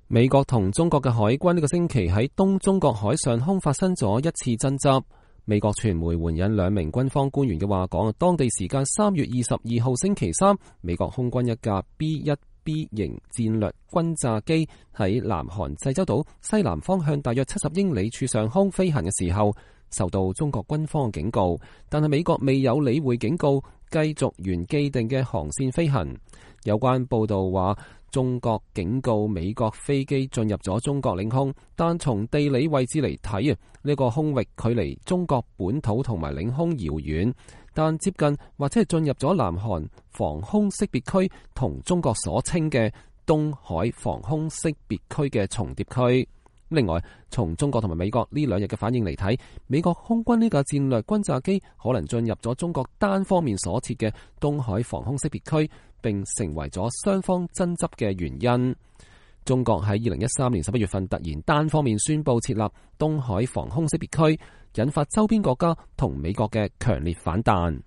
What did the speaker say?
美國同中國嘅海軍呢個星期喺東中國海上空發生咗一次爭執。美國傳媒援引兩名軍方官員嘅話講，當地時間3月22號星期三，美國空軍一架 B-1B 型戰略轟炸機喺南韓濟州島西南方向大約70英里處上空飛行嘅時候，受到中國軍方嘅警告，但係美國未有理會警告，繼續沿既定嘅航線飛行。有關報道話，中國警告美國飛機進入咗中國領空，但從地理位置嚟睇呢個空域距離中國本土同埋領空遙遠，但接近或者係進入咗南韓防空識別區同中國所稱嘅東海防空識別區嘅重疊區。另外，從中國同埋美國呢兩日嘅反應嚟睇，美國空軍呢架戰略轟炸機可能進入咗中國單方面所設嘅東海防空識別區，並成為咗雙方爭執嘅原因。中國喺2013年11月份突然單方面宣布設立東海防空識別區，引發周邊國家同美國嘅強烈反彈。